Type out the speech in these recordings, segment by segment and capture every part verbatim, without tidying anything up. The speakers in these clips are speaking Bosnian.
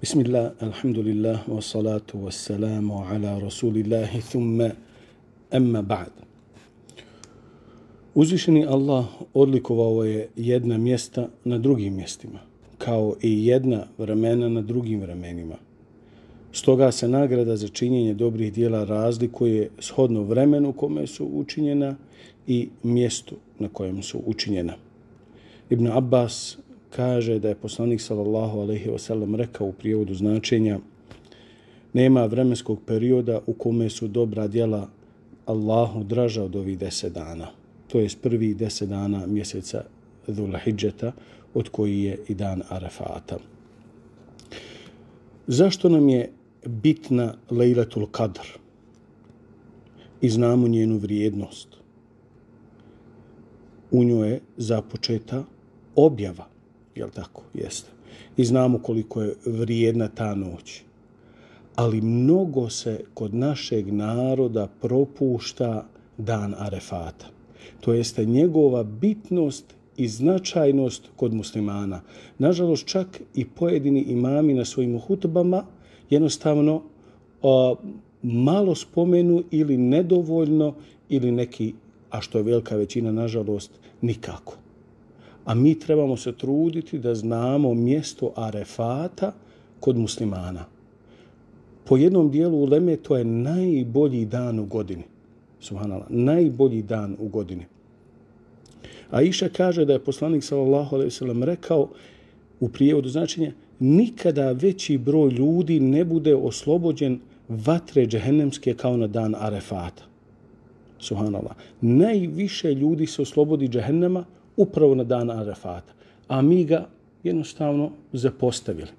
Bismillah, alhamdulillah, wa salatu wa salamu ala rasulillahi, thumma amma ba'd. Uzvišeni Allah odlikovao je jedna mjesta na drugim mjestima, kao i jedna vremena na drugim vremenima. Stoga se nagrada za činjenje dobrih djela razlikuje shodno vremenu u kome su učinjena i mjestu na kojem su učinjena. Ibn Abbas kaže da je poslanik sallallahu alejhi ve sellem rekao u prijevodu značenja: nema vremenskog perioda u kome su dobra djela Allahu draža od ovih deset dana. To je prvi deset dana mjeseca Dhul-Hidžeta, od koji je i dan Arefata. Zašto nam je bitna Lejletul Kadr? I znamo njenu vrijednost. U njoj je započeta objava, jel tako? Jeste. I znamo koliko je vrijedna ta noć. Ali mnogo se kod našeg naroda propušta dan Arefata. To jeste njegova bitnost i značajnost kod muslimana. Nažalost, čak i pojedini imami na svojim hutbama jednostavno o, malo spomenu ili nedovoljno ili neki, a što je velika većina, nažalost, nikako. A mi trebamo se truditi da znamo mjesto Arefata kod muslimana. Po jednom dijelu uleme to je najbolji dan u godini. Subhanallah, najbolji dan u godini. Aisha kaže da je poslanik sallallahu alejhi ve sellem rekao u prijevodu značenja: nikada veći broj ljudi ne bude oslobođen vatre džehennemske kao na dan Arefata. Subhanallah. Najviše ljudi se oslobodi džehennema upravo na dan Arefata, a mi ga jednostavno zapostavili.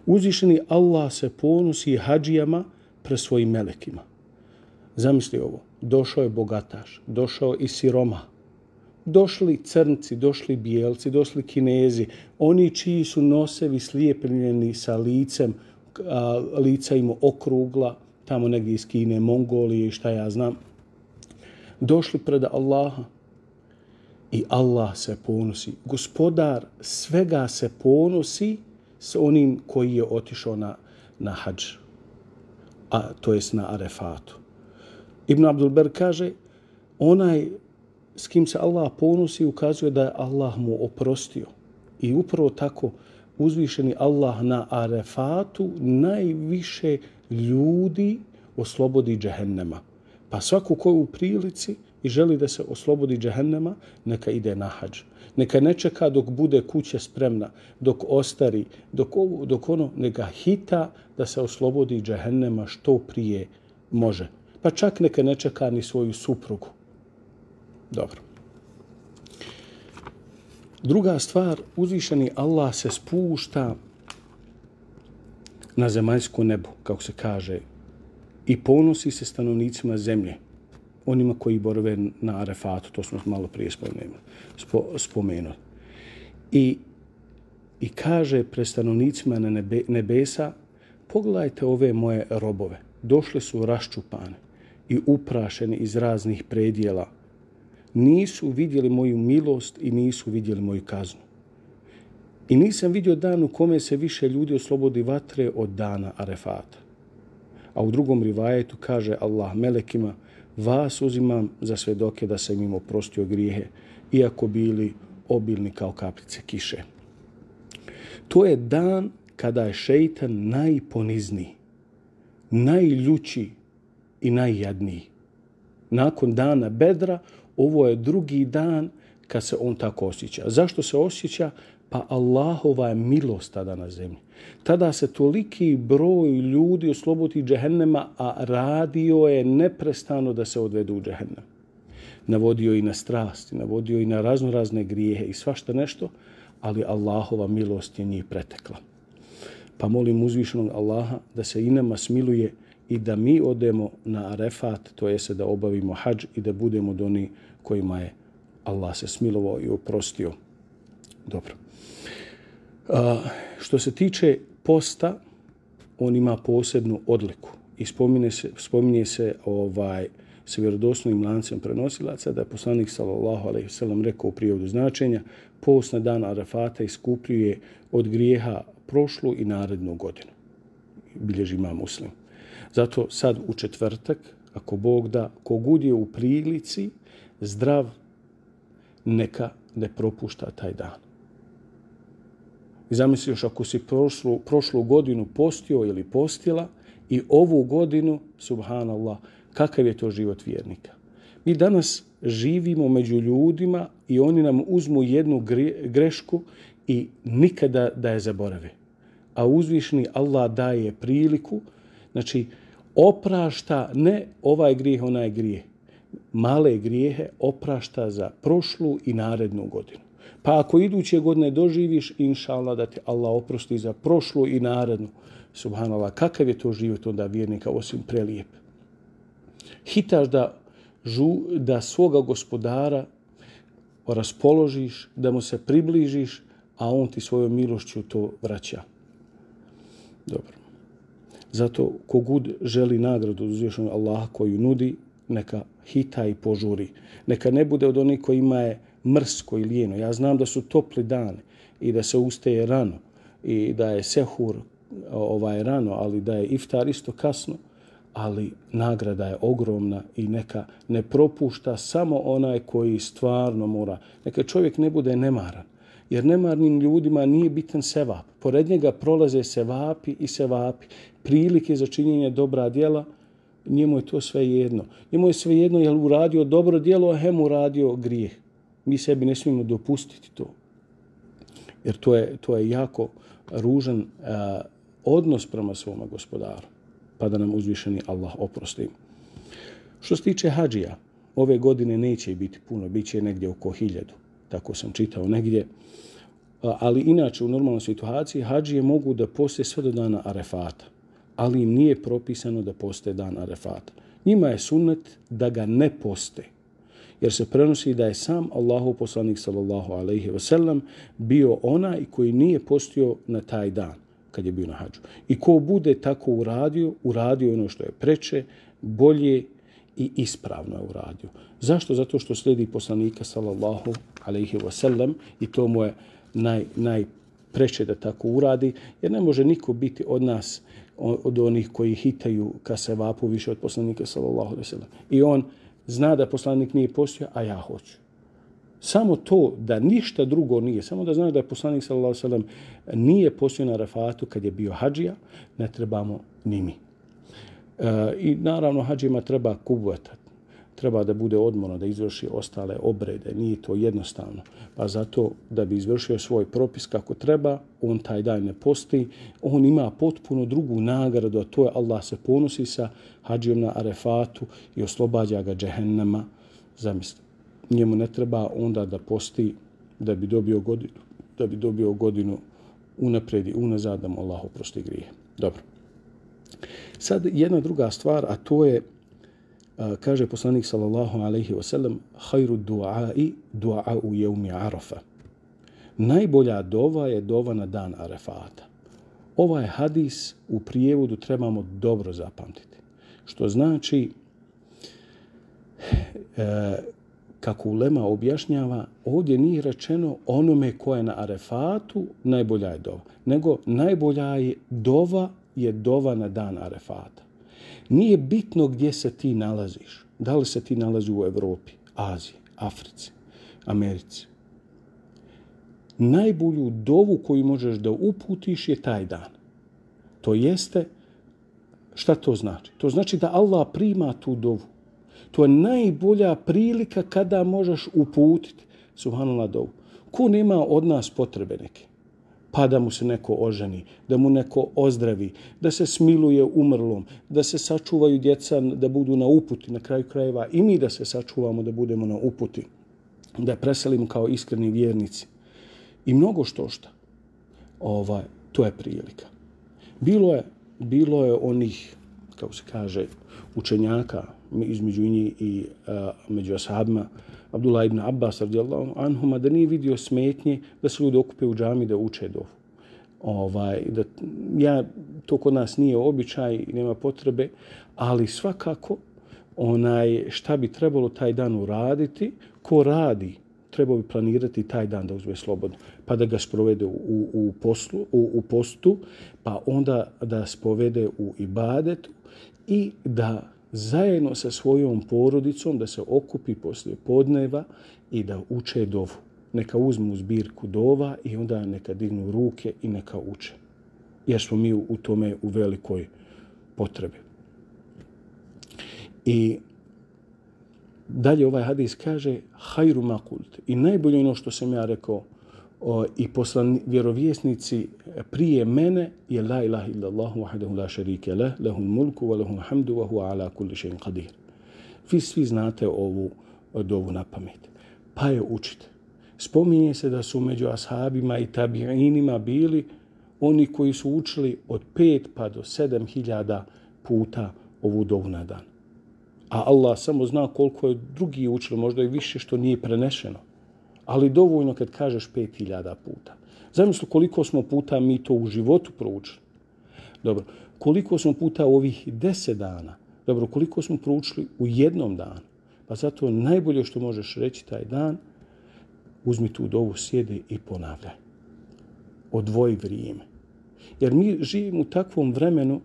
Uzvišeni Allah se ponosi hadžijama pre svojim melekima. Zamisli ovo, došao je bogataš, došao i siroma, došli crnci, došli bijelci, došli Kinezi, oni čiji su nosevi slijepljeni sa licem, a, lica im okrugla, tamo negdje iz Kine, Mongolije i šta ja znam, došli pred Allaha i Allah se ponosi. Gospodar svega se ponosi s onim koji je otišao na, na hadž, a to jest na Arefatu. Ibn Abdul Ber kaže, onaj s kim se Allah ponosi ukazuje da je Allah mu oprostio. I upravo tako uzvišeni Allah na Arefatu najviše ljudi oslobodi džehennema. Pa svako ko je u prilici i želi da se oslobodi džehennema, neka ide na hadž. Neka ne čeka dok bude kuća spremna, dok ostari, dok, ovo, dok ono, neka hita da se oslobodi džehennema što prije može. Pa čak neka ne čeka ni svoju suprugu. Dobro. Druga stvar, uzvišeni Allah se spušta na zemaljsko nebo, kako se kaže, i ponosi se stanovnicima zemlje, onima koji borave na Arefatu, to smo malo prije spomenuli. I, i kaže pred stanovnicima na nebe, nebesa: pogledajte ove moje robove, došli su raščupane i uprašeni iz raznih predjela. Nisu vidjeli moju milost i nisu vidjeli moju kaznu. I nisam vidio dan u kome se više ljudi oslobodi vatre od dana Arefata. A u drugom rivajetu kaže Allah melekima: vas uzimam za svedoke da sam im oprostio grijehe, iako bili obilni kao kapljice kiše. To je dan kada je šejtan najponizniji, najljući i najjadniji. Nakon dana Bedra, ovo je drugi dan kad se on tako osjeća. Zašto se osjeća? Pa Allahova je milost tada na zemlji. Tada se toliki broj ljudi oslobodi džehennema, a radio je neprestano da se odvedu u džehennem. Navodio i na strasti, navodio i na raznorazne grijehe i svašta nešto, ali Allahova milost je njih pretekla. Pa molim uzvišenog Allaha da se i nama smiluje i da mi odemo na Arefat, to jest da obavimo hadž i da budemo od onih kojima je Allah se smilovao i oprostio. Dobro. A, što se tiče posta, on ima posebnu odliku i spominje se, spominje se ovaj, sa vjerodostojnim lancem prenosilaca da je poslanik sallallahu alejhi ve sellem rekao u prijevodu značenja: post na dan Arafata iskupljuje od grijeha prošlu i narednu godinu. Bilježi Imam Muslim. Zato sad u četvrtak, ako Bog da, kogud je u prilici zdrav, neka ne propušta taj dan. I zamisli još ako si prošlu, prošlu godinu postio ili postila i ovu godinu, subhanallah, kakav je to život vjernika. Mi danas živimo među ljudima i oni nam uzmu jednu grešku i nikada da je zaborave. A uzvišni Allah daje priliku, znači oprašta ne ovaj grijeh, onaj grijeh. Male grijehe oprašta za prošlu i narednu godinu. Pa ako iduće godine doživiš, inša Allah, da ti Allah oprosti za prošlu i narednu, subhanallah, kakav je to život onda vjernika osim prelijep. Hitaš da, žu, da svoga gospodara raspoložiš, da mu se približiš, a on ti svojom milošću to vraća. Dobro. Zato kogud želi nagradu od uzvišenog Allaha koju nudi, neka hita i požuri. Neka ne bude od onih kojima je mrsko i lijeno. Ja znam da su topli dani i da se ustaje rano i da je sehur ovaj rano, ali da je iftar isto kasno, ali nagrada je ogromna i neka ne propušta samo onaj koji stvarno mora. Neka čovjek ne bude nemaran, jer nemarnim ljudima nije bitan sevap. Pored njega prolaze sevapi i sevapi, prilike za činjenje dobra djela, njemu je to sve jedno. Njemu je sve jedno je li uradio dobro djelo, a hem uradio grijeh. Mi sebi ne smijemo dopustiti to. Jer to je, to je jako ružan uh, odnos prema svome gospodaru. Pa da nam uzvišeni Allah oprosti. Što se tiče hadžija, ove godine neće biti puno, bit će negdje oko hiljadu. Tako sam čitao negdje. Ali inače u normalnoj situaciji hadžije mogu da poste sve do dana Arefata. Ali im nije propisano da poste dan Arefata. Njima je sunnet da ga ne poste. Jer se prenosi da je sam Allahov poslanik sallallahu alejhi ve sellem bio onaj koji nije postio na taj dan kad je bio na hadžu. I ko bude tako uradio, uradio ono što je preče, bolje i ispravno je uradio. Zašto? Zato što slijedi poslanika sallallahu alejhi ve sellem i to mu je naj, najpreče da tako uradi, jer ne može niko biti od nas, od onih koji hitaju ka sevapu više od poslanika sallallahu alejhi ve sellem. I on zna da poslanik nije postio, a ja hoću. Samo to da ništa drugo nije, samo da znaš da je poslanik sallallahu alejhi ve sellem nije postio na Arefatu kad je bio hadžija, ne trebamo ni mi. E, I naravno hadžima treba kubuetat. Treba da bude odmorno, da izvrši ostale obrede. Nije to jednostavno. Pa zato da bi izvršio svoj propis kako treba, on taj dan ne posti. On ima potpuno drugu nagradu, a to je Allah se ponosi sa hadžijom na Arefatu i oslobađa ga džehennema. Zamislite, njemu ne treba onda da posti da bi dobio godinu, da bi dobio godinu unaprijed i unazad da mu Allah oprosti grije. Dobro. Sad jedna druga stvar, a to je kaže poslanik sallallahu alejhi ve sellem: "Khairu du'a'i du'a'u yawmi Arafa." Najbolja dova je dova na dan Arefata. Ovaj hadis u prijevodu trebamo dobro zapamtiti. Što znači, e, kako ulema objašnjava, ovdje nije rečeno onome ko je na Arefatu najbolja je dova, nego najbolja je dova je dova na dan Arefata. Nije bitno gdje se ti nalaziš. Da li se ti nalazi u Evropi, Aziji, Africi, Americi. Najbolju dovu koju možeš da uputiš je taj dan. To jeste, šta to znači? To znači da Allah prima tu dovu. To je najbolja prilika kada možeš uputiti, subhanallah, dovu. Ko nema od nas potrebe neke? Pa da mu se neko oženi, da mu neko ozdravi, da se smiluje umrlom, da se sačuvaju djeca, da budu na uputi, na kraju krajeva i mi da se sačuvamo, da budemo na uputi, da preselimo kao iskreni vjernici. I mnogo što šta. Ovaj, to je prilika. Bilo je, bilo je onih, kako se kaže, učenjaka između njih i a, među ashabima, Abdullah ibn Abbas radijallahu anhuma, da nije vidio smetnje da se ljudi okupe u džami da uče dovu. Ovaj, da, ja, to kod nas nije običaj i nema potrebe, ali svakako onaj, šta bi trebalo taj dan uraditi, ko radi, trebao bi planirati taj dan da uzme slobodno, pa da ga sprovede u, u, poslu, u, u postu, pa onda da spovede u ibadetu i da zajedno sa svojom porodicom da se okupi poslije podneva i da uče dovu. Neka uzmu zbirku dova i onda neka dignu ruke i neka uče. Jer smo mi u tome u velikoj potrebi. I dalje ovaj hadis kaže hajru ma kult. I najbolje ono što sam ja rekao o, i poslan vjerovjesnici prije mene je la ilaha illallah wahdahu la sharika lah, lahul mulku wa lahul hamdu wa huwa ala kulli shay'in qadir. Vi svi znate ovu dovu na pamet. Pa je učite. Spominje se da su među ashabima i tabiinima bili oni koji su učili od pet pa do sedam hiljada puta ovu dovu na dan. A Allah samo zna koliko je drugi učili, možda i više što nije prenešeno. Ali dovoljno kad kažeš pet hiljada puta. Zamisli koliko smo puta mi to u životu proučili. Dobro, koliko smo puta u ovih deset dana. Dobro, koliko smo proučili u jednom danu. Pa zato najbolje što možeš reći taj dan, uzmi tu dovu, sjedi i ponavljaj. Odvoji vrijeme. Jer mi živimo u takvom vremenu,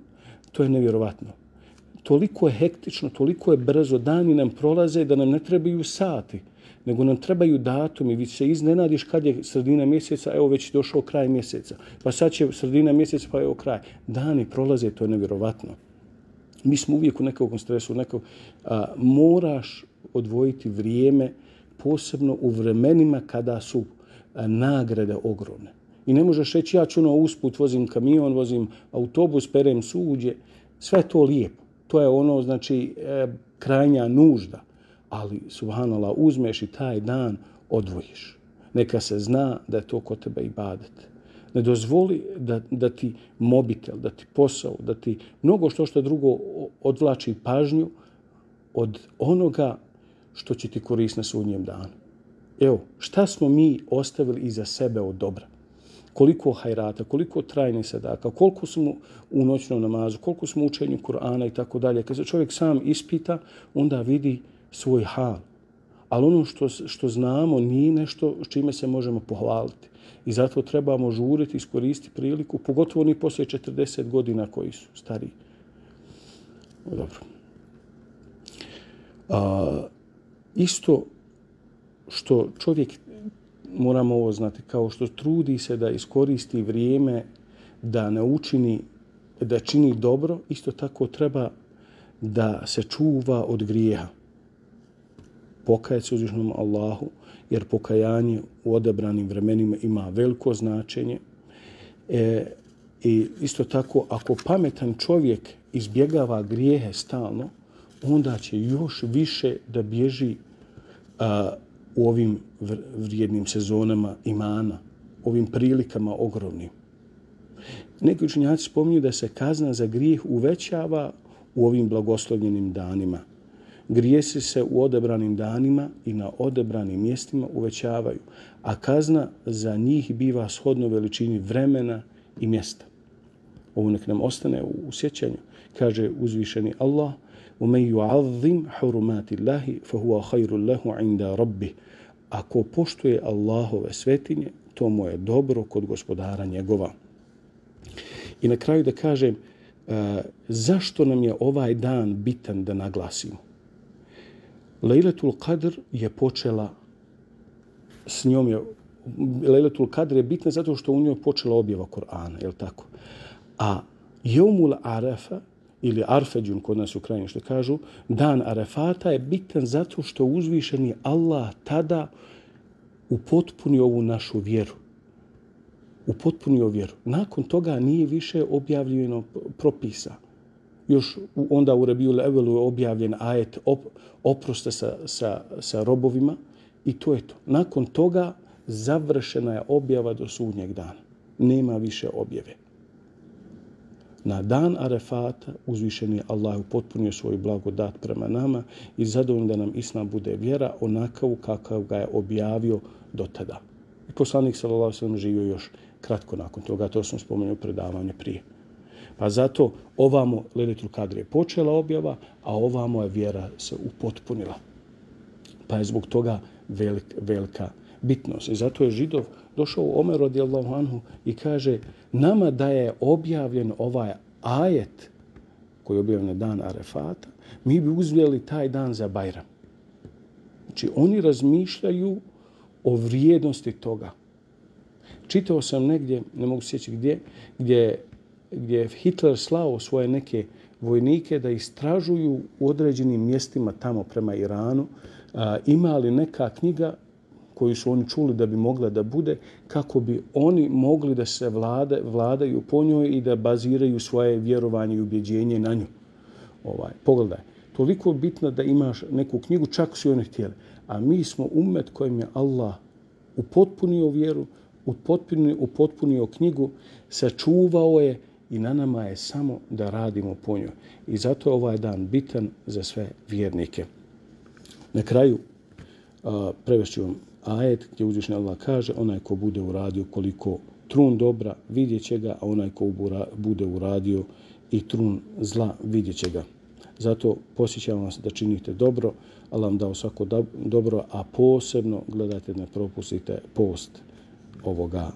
to je nevjerovatno. Toliko je hektično, toliko je brzo, dani nam prolaze da nam ne trebaju sati, nego nam trebaju datumi. Vi se iznenadiš kad je sredina mjeseca, evo već je došao kraj mjeseca. Pa sad će sredina mjeseca, pa evo kraj. Dani prolaze, to je nevjerovatno. Mi smo uvijek u nekom stresu, nekog, a, moraš odvojiti vrijeme, posebno u vremenima kada su a, nagrade ogromne. I ne možeš reći, ja ću ono usput, vozim kamion, vozim autobus, perem suđe, sve to lijepo. To je ono, znači, e, krajnja nužda. Ali, subhanallah, uzmeš i taj dan odvojiš. Neka se zna da je to kod tebe ibadet. Ne dozvoli da, da ti mobitel, da ti posao, da ti mnogo što što drugo odvlači pažnju od onoga što će ti koristiti na sudnjem danu. Evo, šta smo mi ostavili iza sebe od dobra? Koliko hajrata, koliko trajnih sadaka, koliko smo u noćnom namazu, koliko smo u učenju Kur'ana i tako dalje. Kad se čovjek sam ispita, onda vidi svoj hal. Ali ono što, što znamo nije nešto s čime se možemo pohvaliti. I zato trebamo žuriti, iskoristiti priliku, pogotovo oni poslije četrdeset godina koji su stariji. Dobro. A, isto što čovjek, moramo ovo znati, kao što trudi se da iskoristi vrijeme da ne učini, da čini dobro, isto tako treba da se čuva od grijeha. Pokajati se uzvišenom Allahu, jer pokajanje u odabranim vremenima ima veliko značenje. E, I isto tako, ako pametan čovjek izbjegava grijehe stalno, onda će još više da bježi a, u ovim vrijednim sezonama imana, ovim prilikama ogromnim. Neki učenjaci spominju da se kazna za grijeh uvećava u ovim blagoslovljenim danima. Grijesi se u odabranim danima i na odabranim mjestima uvećavaju, a kazna za njih biva shodno veličini vremena i mjesta. Ovo nek nam ostane u sjećanju. Kaže uzvišeni Allah: وَمَنْ يُعَظِّمْ حُرُمَاتِ اللَّهِ فَهُوَ خَيْرٌ لَهُ عِنْدَ رَبِّهِ. Ako poštuje Allahove svetinje, to mu je dobro kod gospodara njegova. I na kraju da kažem, uh, zašto nam je ovaj dan bitan da naglasimo? Lejletul Kadr je počela, s njom je, Lejletul Kadr je bitna zato što u njoj počela objava Kur'ana, je li tako? A Jeumul Arafa, ili Arfeđun, kod nas u krajini što kažu, dan Arefata je bitan zato što uzvišeni Allah tada upotpunio ovu našu vjeru. Upotpunio vjeru. Nakon toga nije više objavljeno propisa. Još onda u Rebijul Evelu je objavljen ajet op, oprosta sa, sa, sa robovima i to je to. Nakon toga završena je objava do sudnjeg dana. Nema više objave. Na dan Arefata uzvišeni Allah upotpunio svoju blagodat prema nama i zadovoljno da nam Islam bude vjera onakav kakav ga je objavio do tada. I poslanik sallallahu alejhi ve sellem živio još kratko nakon toga, to sam spomenuo predavanje prije. Pa zato ovamo Lejletul Kadr je počela objava, a ovamo je vjera se upotpunila. Pa je zbog toga velik, velika bitnost. I zato je Židov došao Omer radijallahu anhu i kaže nama da je objavljen ovaj ajet koji je objavljen na dan Arefata, mi bi uzeli taj dan za Bajram. Znači oni razmišljaju o vrijednosti toga. Čitao sam negdje, ne mogu sjećati gdje, gdje, gdje je Hitler slao svoje neke vojnike da istražuju u određenim mjestima tamo prema Iranu, a, ima li neka knjiga koju su oni čuli da bi mogla da bude, kako bi oni mogli da se vlade, vladaju po njoj i da baziraju svoje vjerovanje i ubjeđenje na nju. Ovaj, pogledaj, toliko bitno da imaš neku knjigu, čak su oni htjeli. A mi smo ummet kojim je Allah upotpunio vjeru, upotpunio, upotpunio knjigu, sačuvao je i na nama je samo da radimo po njoj. I zato je ovaj dan bitan za sve vjernike. Na kraju a, prevešću vam ajet gdje uzvišeni Allah kaže onaj ko bude uradio koliko trun dobra vidjet će ga, a onaj ko bude uradio i trun zla vidjet će ga. Zato posjećam vas da činite dobro, Allah vam dao svako dobro, a posebno gledajte da ne propustite post ovoga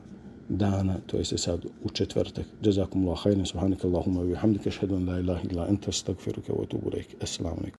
dana, to je se sad u četvrtak. Jazakumullahu khairan, subhanakallahumma wa bihamdika, ashhadu an la ilaha illa anta, astaghfiruka wa atubu ilaik. Assalamu alaikum.